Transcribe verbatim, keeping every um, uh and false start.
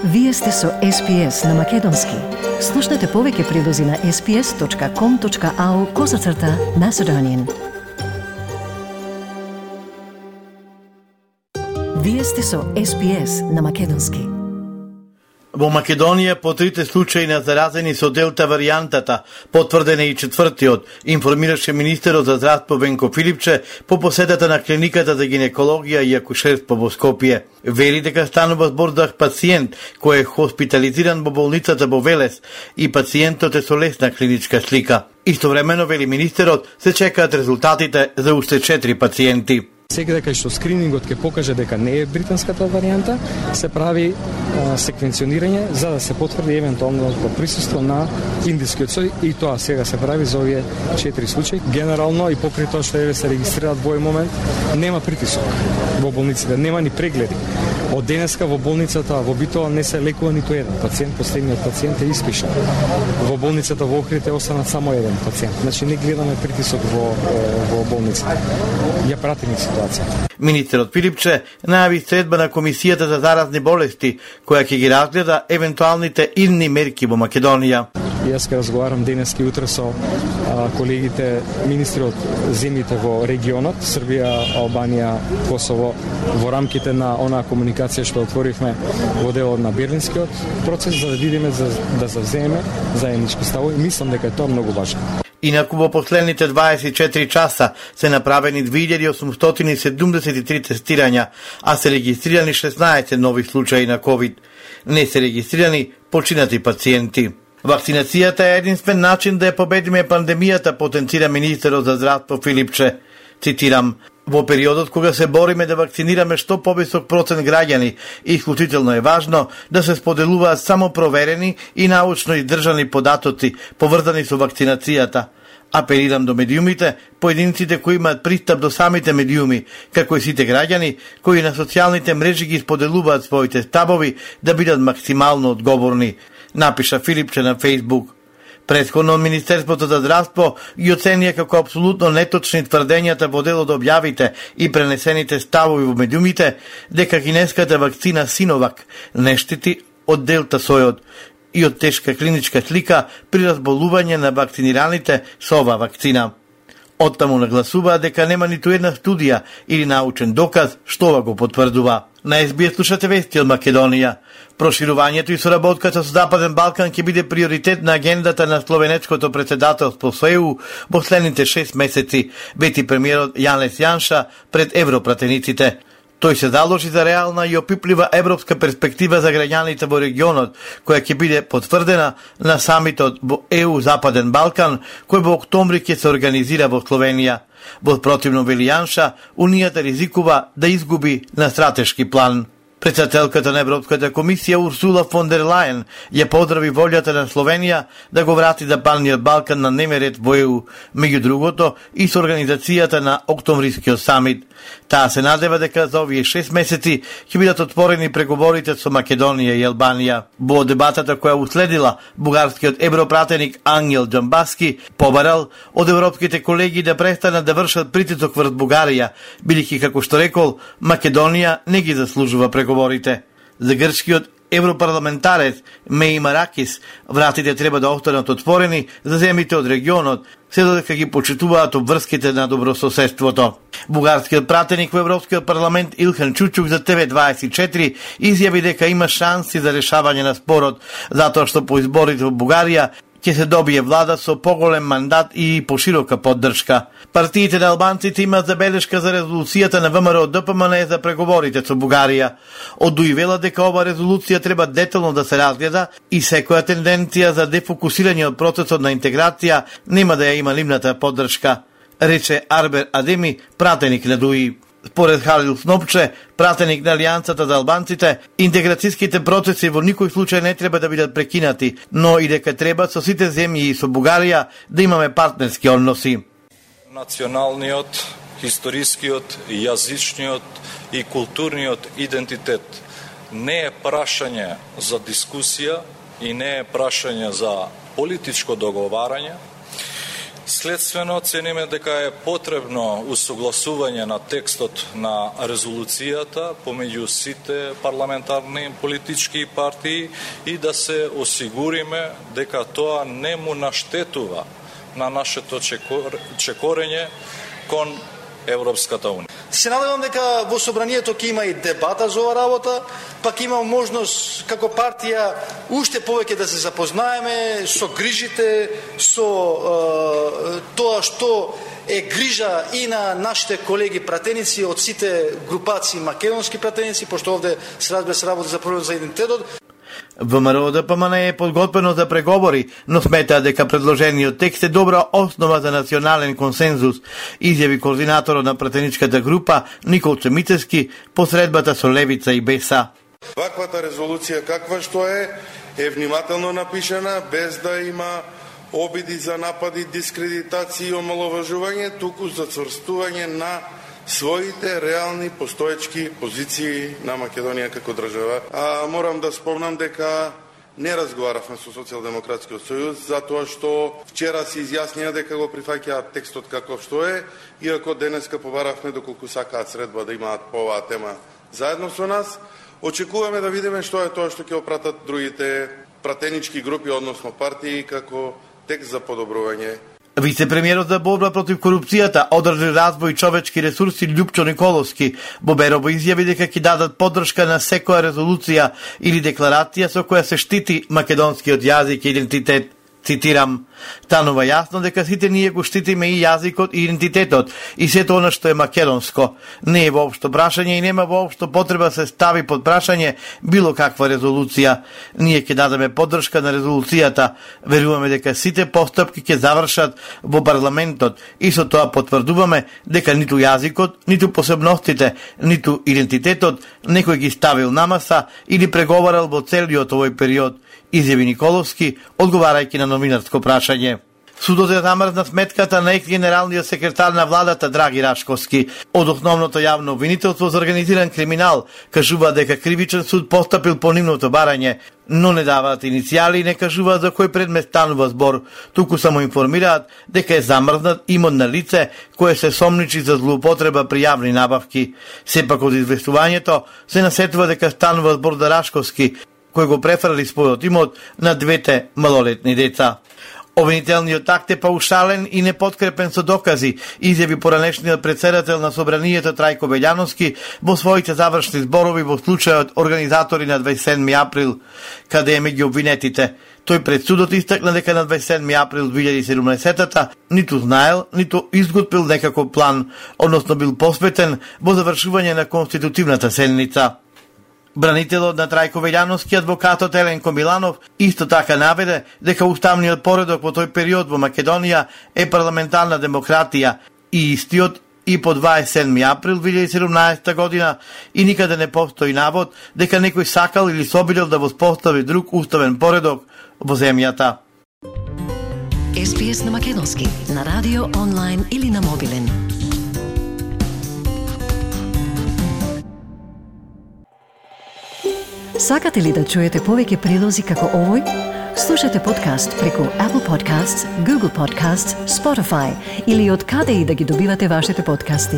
Вие сте со Ес Пи Ес на Македонски. Слушнете повеќе прилози на ес пи ес точка ком точка ау козацрта Macedonian. Вие сте со Ес Пи Ес на Македонски. Во Македонија по трите случаи на заразени со делта варијантата, потврден е и четвртиот, информираше министерот за здравство Венко Филипче по посетата на клиниката за гинекологија и акушерство во Скопје. Вели дека станува збор за пациент кој е хоспитализиран во болницата во Велес и пациентот е со лесна клиничка слика. Истовремено, вели министерот, се чекаат резултатите за уште четири пациенти. Секаде кај што скринингот ќе покаже дека не е британската варијанта, се прави а, секвенционирање за да се потврди евентуално присуство на индискиот сој и тоа сега се прави за овие четири случаи. Генерално и покрај тоа што еве се регистрираат во овој момент, нема притисок во болниците, нема ни прегледи. Од денеска во болницата во Битола не се лекува ниту еден пациент, последниот пациент е испишан. Во болницата во Охрид е останат само еден пациент. Значи не гледаме притисок во во болницата. Ја пратиме ситуацијата. Министерот Филипче најави средба на Комисијата за заразни болести, која ќе ги разгледа евентуалните идни мерки во Македонија. Јас ќе разговарам денес и утре со а, колегите министри од земјите во регионот, Србија, Албанија, Косово, во рамките на онаа комуникација што отворивме во делот на Берлинскиот процес, за да видиме, за да завземеме заеднички ставови. Мислам дека е тоа многу важно. Инаку во последните дваесет и четири часа се направени две илјади осумстотини седумдесет и три тестирања, а се регистрирани шеснаесет нови случаи на ковид. Не се регистрирани починати пациенти. Вакцинацијата е единствен начин да ја победиме пандемијата, потенцира министерот за здравство Филипче. Цитирам: во периодот кога се бориме да вакцинираме што повисок процент граѓани, исклучително е важно да се споделуваат само проверени и научно издржани податоци поврзани со вакцинацијата. Апелирам до медиумите, поединците кои имаат пристап до самите медиуми, како и сите граѓани кои на социјалните мрежи ги споделуваат своите ставови, да бидат максимално одговорни, напиша Филипче на Фейсбук. Претходно Министерството за здравство ги оценија како апсолутно неточни тврдењата во дел од објавите и пренесените ставови во медиумите дека кинеската вакцина Синовак не штити од делта сојот и од тешка клиничка слика при разболување на вакцинираните со оваа вакцина. Оттаму нагласуваа дека нема ниту една студија или научен доказ што ова го потврдува. На Ес Би Ес слушате вести од Македонија. Проширувањето и соработката со Западен Балкан ќе биде приоритет на агендата на словенечкото претседателство со Е У во следните шест месеци, вети премиерот Јанес Јанша пред европратениците. Тој се заложи за реална и опиплива европска перспектива за граѓаните во регионот, која ќе биде потврдена на самитот во Е У Западен Балкан, кој во октомври ќе се организира во Словенија. Во противно, вели Јанша, Унијата ризикува да изгуби на стратешки план. Председателката на Европската комисија Урсула фон дер Лајен ја поздрави волјата на Словенија да го врати Западниот Балкан на дневен ред во Е У, меѓу другото и со организацијата на октомврискиот самит. Таа се надева дека за овие шест месеци ќе бидат отворени преговорите со Македонија и Албанија. Во дебатата која уследила, бугарскиот европратеник Ангел Џамбаски побарал од европските колеги да престанат да вршат притисок врз Бугарија, бидејќи, како што рекол, Македонија не ги заслужува преговорите. За грчкиот европарламентарец Меи Маракис, вратите треба да останат отворени за земјите од регионот, се додека ги почитуваат обврските на добрососедството. Бугарскиот пратеник во Европскиот парламент Илхан Чучук за Те Ве дваесет и четири изјави дека има шанси за решавање на спорот, затоа што по изборите во Бугарија ќе се добие влада со поголем мандат и поширока поддршка. Партиите на албанците имаат забелешка за резолуцијата на Вэ Ем Ер О Д П М Н за преговорите со Бугарија. Од ДУ И вела дека ова резолуција треба детално да се разгледа и секоја тенденција за дефокусирање од процесот на интеграција нема да ја има нивната поддршка, рече Арбер Адеми, пратеник на ДУ И. Според Халил Снопче, пратеник на Алијансата за албанците, интеграцијските процеси во никој случај не треба да бидат прекинати, но и дека треба со сите земји и со Бугарија да имаме партнерски односи. Националниот, историскиот, јазичниот и културниот идентитет не е прашање за дискусија и не е прашање за политичко договарање. Следствено, цениме дека е потребно усогласување на текстот на резолуцијата помеѓу сите парламентарни политички партии и да се осигуриме дека тоа не му наштетува на нашето чекорење кон Европската унија. Се надевам дека во собранието ќе има и дебата за оваа работа, пак има можност како партија уште повеќе да се запознаеме со грижите, со е, тоа што е грижа и на нашите колеги пратеници од сите групации македонски пратеници, пошто овде се разбира се работи за проблем за идентитетот. ВМРО Д П М Н е подготвено за преговори, но сметаа дека предложениот текст е добра основа за национален консензус, изјави координаторот на пратеничката група Николче Мицевски по средбата со Левица и Б Е С А. Ваквата резолуција каква што е, е внимателно напишана, без да има обиди за напади, дискредитација и омаловажување, туку за цврстување на своите реални постоечки позиции на Македонија како држава. А морам да спомнам дека не разговаравме со Социјалдемократскиот сојуз, затоа што вчера се изјаснија дека го прифаќаат текстот каков што е, иако денеска побаравме доколку сакаат средба да имаат по оваа тема заедно со нас. Очекуваме да видиме што е тоа што ќе опратат другите пратенички групи, односно партии, како текст за подобрување. Вице-премиерот за борба против корупцијата, одржи развој и човечки ресурси Љупчо Николовски Боберово изјави дека ќе дадат поддршка на секоја резолуција или декларација со која се штити македонскиот јазик и идентитет. Цитирам: "Станува јасно дека сите ние го штитиме и јазикот и идентитетот и сето она што е македонско. Не е воопшто прашање и нема воопшто потреба се стави под прашање било каква резолуција. Ние ќе дадеме поддршка на резолуцијата. Веруваме дека сите постапки ќе завршат во парламентот и со тоа потврдуваме дека ниту јазикот, ниту посебностите, ниту идентитетот некој ги ставил на маса или преговарал во целиот овој период", изјави Николовски, одговарајќи на новинарско прашање. Судот е замрзна сметката на екс-генералниот секретар на владата Драги Рашковски. Од основното јавно обвинителство за организиран криминал кажува дека кривичен суд постапил по нивното барање, но не даваат иницијали и не кажуваат за кој предмет станува збор, туку само информираат дека е замрзнат имот на лице кое се сомничи за злоупотреба при јавни набавки. Сепак од известувањето се насетува дека станува збор за Рашковски, кој го префрли својот имот на двете малолетни деца. Обвинителниот акт е паушален и непоткрепен со докази, изјави поранешниот председател на собранието Трајко Белјановски во своите завршни зборови во случајот организатори на дваесет и седми април, каде е меѓу обвинетите. Тој пред судот истакна дека на дваесет и седми април две илјади и седумнаесета ниту знаел, ниту изготвил некаков план, односно бил посветен во завршување на конститутивната седница. Бранителот на Трајко Белјановски, адвокатот Еленко Миланов, исто така наведе дека уставниот поредок во тој период во Македонија е парламентарна демократија и истиот и по дваесет и седми април две илјади и седумнаесета година и никаде не постои навод дека некој сакал или собирал да воспостави друг уставен поредок во земјата. Ес Би Ес на македонски, на радио, онлайн или на мобилен. Сакате ли да чуете повеќе прилози како овој? Слушате подкаст преку Apple Podcasts, Google Podcasts, Spotify или од каде и да ги добивате вашите подкасти.